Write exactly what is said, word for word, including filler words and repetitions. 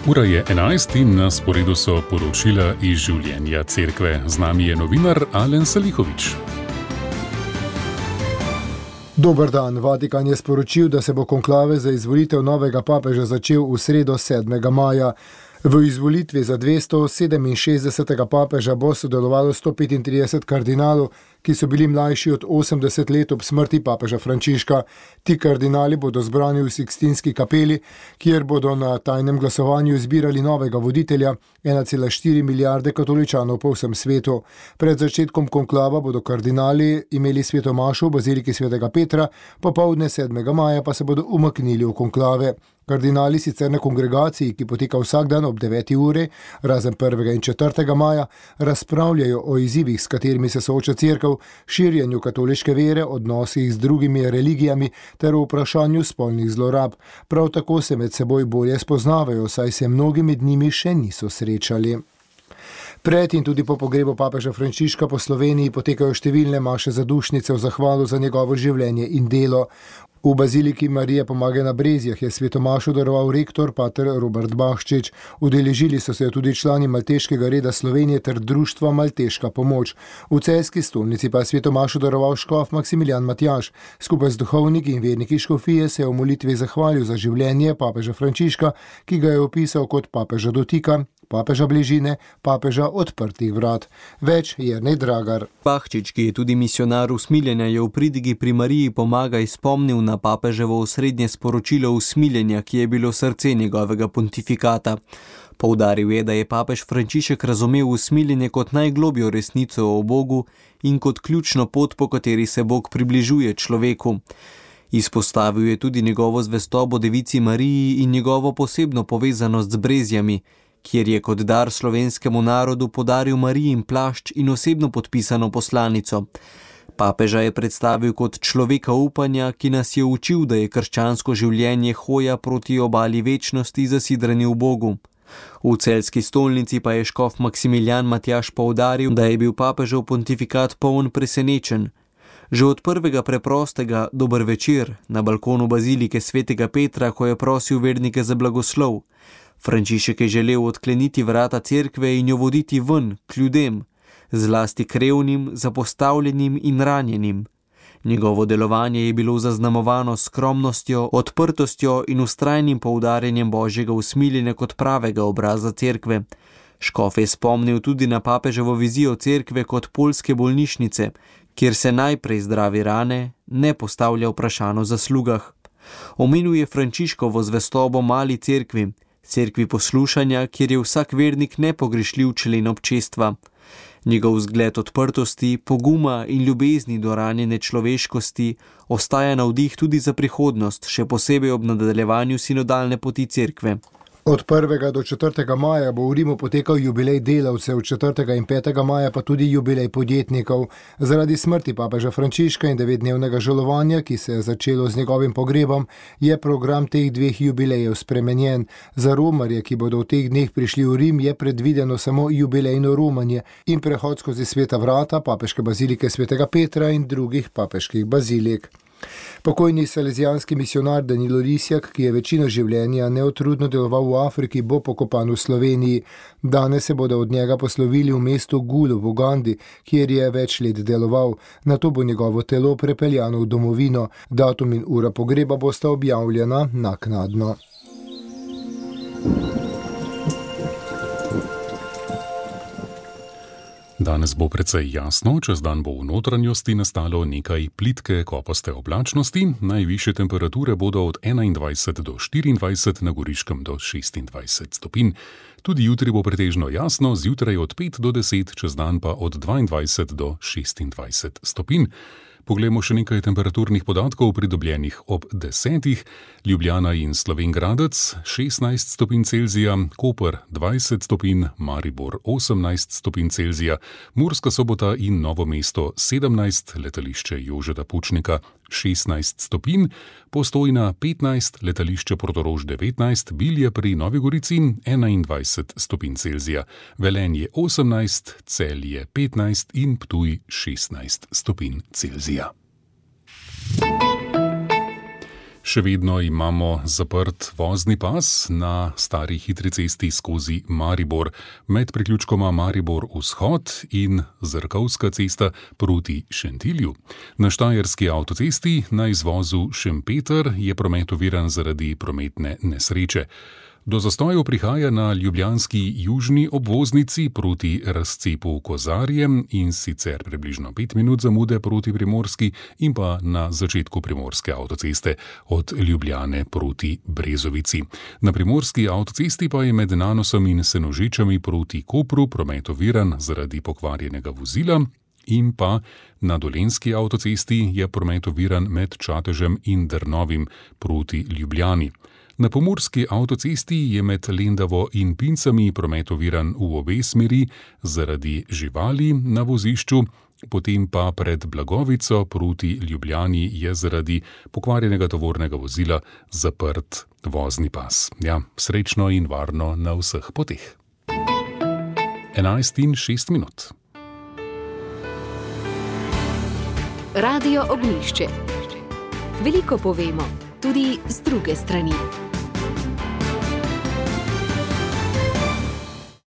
Ura je enajst in na sporedu so poročila iz življenja cerkve. Z nami je novinar Alen Salihović. Dober dan. Vatikan je sporočil, da se bo konklave za izvolitev novega papeža začel v sredo sedmega maja. V izvolitvi za dvesto sedeminšestdesetega papeža bo sodelovalo sto petintrideset kardinalov, ki so bili mlajši od osemdeset let ob smrti papeža Frančiška. Ti kardinali bodo zbrani v Sikstinski kapeli, kjer bodo na tajnem glasovanju izbirali novega voditelja, ena cela štiri milijarde katoličanov po vsem svetu. Pred začetkom konklava bodo kardinali imeli sveto mašo v baziliki svetega Petra, popoldne sedmega maja pa se bodo umaknili v konklave. Kardinali sicer na kongregaciji, ki poteka vsak dan ob deveti uri, razen prvega in četrtega maja, razpravljajo o izzivih, s katerimi se sooča cerkev, širjenju katoliške vere, odnosih z drugimi religijami ter o vprašanju spolnih zlorab. Prav tako se med seboj bolje spoznavajo, saj se mnogi med njimi še niso srečali. Pred in tudi po pogrebu papeža Frančiška po Sloveniji potekajo številne maše zadušnice v zahvalo za njegovo življenje in delo. V baziliki Marije Pomage na Brezjah je sveto mašo daroval rektor pater Robert Bahčič. Udeležili so se jo tudi člani Malteškega reda Slovenije ter društva Malteška pomoč. V celjski stolnici pa je sveto mašo daroval škof Maksimilijan Matjaž. Skupaj z duhovniki in verniki škofije se je v molitvi zahvalil za življenje papeža Frančiška, ki ga je opisal kot papeža dotika, papeža bližine, papeža odprtih vrat. Več Jernej Dragar. Bahčič, ki je tudi misionar usmiljenja, je v pridigi pri Mariji Pomagaj spomnil na papeževo osrednje sporočilo usmiljenja, ki je bilo srce njegovega pontifikata. Poudaril je, da je papež Frančišek razumel usmiljenje kot najglobjo resnico o Bogu in kot ključno pot, po kateri se Bog približuje človeku. Izpostavil je tudi njegovo zvestobo devici Mariji in njegovo posebno povezanost z Brezjami, kjer je kot dar slovenskemu narodu podaril Marijin plašč in osebno podpisano poslanico. Papeža je predstavil kot človeka upanja, ki nas je učil, da je krščansko življenje hoja proti obali večnosti zasidrani v Bogu. V celjski stolnici pa je škof Maksimilijan Matjaž poudaril, da je bil papežev pontifikat poln presenečen. Že od prvega preprostega dober večer na balkonu bazilike svetega Petra, ko je prosil vernike za blagoslov. Frančišek je želel odkleniti vrata cerkve in jo voditi ven, k ljudem, zlasti k revnim, zapostavljenim in ranjenim. Njegovo delovanje je bilo zaznamovano s skromnostjo, odprtostjo in vztrajnim poudarjanjem božjega usmiljenja kot pravega obraza cerkve. Škof je spomnil tudi na papeževo vizijo cerkve kot poljske bolnišnice, kjer se najprej zdravi rane, ne postavlja vprašanj o zaslugah. Omenil je Frančiškovo zvestobo mali cerkvi, cerkvi poslušanja, kjer je vsak vernik nepogrešljiv člen občestva. Njegov vzgled odprtosti, poguma in ljubezni do ranjene človeškosti ostaja navdih tudi za prihodnost, še posebej ob nadaljevanju sinodalne poti cerkve. Od prvega do četrtega maja bo v Rimu potekal jubilej delavcev, četrtega in petega maja pa tudi jubilej podjetnikov. Zaradi smrti papeža Frančiška in devetdnevnega žalovanja, ki se je začelo z njegovim pogrebom, je program teh dveh jubilejev spremenjen. Za romarje, ki bodo v teh dneh prišli v Rim, je predvideno samo jubilejno romanje in prehod skozi sveta vrata papeške bazilike svetega Petra in drugih papeških bazilik. Pokojni salezijanski misionar Danilo Lisjak, ki je večino življenja neotrudno deloval v Afriki, bo pokopan v Sloveniji. Danes se bodo od njega poslovili v mestu Gulu v Ugandi, kjer je več let deloval. Nato bo njegovo telo prepeljano v domovino. Datum in ura pogreba bosta objavljena naknadno. Danes bo precej jasno, čez dan bo v notranjosti nastalo nekaj plitke kopaste oblačnosti, najvišje temperature bodo od enaindvajset do štiriindvajset, na Goriškem do šestindvajset stopinj. Tudi jutri bo pretežno jasno, zjutraj od pet do deset, čez dan pa od dvaindvajset do šestindvajset stopinj. Poglejmo še nekaj temperaturnih podatkov pridobljenih ob desetih. Ljubljana in Slovenj Gradec šestnajst stopinj Celzija, Koper dvajset stopinj, Maribor osemnajst stopinj Celzija, Murska Sobota in Novo mesto sedemnajst, letališče Jožeta Pučnika šestnajst stopinj, Postojna petnajst, letališče Portorož devetnajst, Bilje pri Novi Gorici enaindvajset stopinj Celzija, Velenje osemnajst, Celje petnajst in Ptuj šestnajst stopinj Celzija. Še vedno imamo zaprt vozni pas na stari hitri cesti skozi Maribor med priključkoma Maribor vzhod in Zrkovska cesta proti Šentilju. Na štajerski avtocesti na izvozu Šempeter je promet oviran zaradi prometne nesreče. Do zastojev prihaja na ljubljanski južni obvoznici proti razcepu Kozarje in sicer približno pet minut zamude proti Primorski in pa na začetku primorske avtoceste od Ljubljane proti Brezovici. Na primorski avtocesti pa je med Nanosom in Senožečami proti Kopru promet oviran zaradi pokvarjenega vozila in pa na dolenjski avtocesti je promet oviran med Čatežem in Drnovim proti Ljubljani. Na pomurski avtocesti je med Lendavo in Pincami promet oviran v obe smeri zaradi živali na vozišču, potem pa pred Blagovico proti Ljubljani je zaradi pokvarjenega tovornega vozila zaprt vozni pas. Ja, srečno in varno na vseh poteh. enajst in šest minut. Radio Ognjišče. Veliko povemo, tudi z druge strani.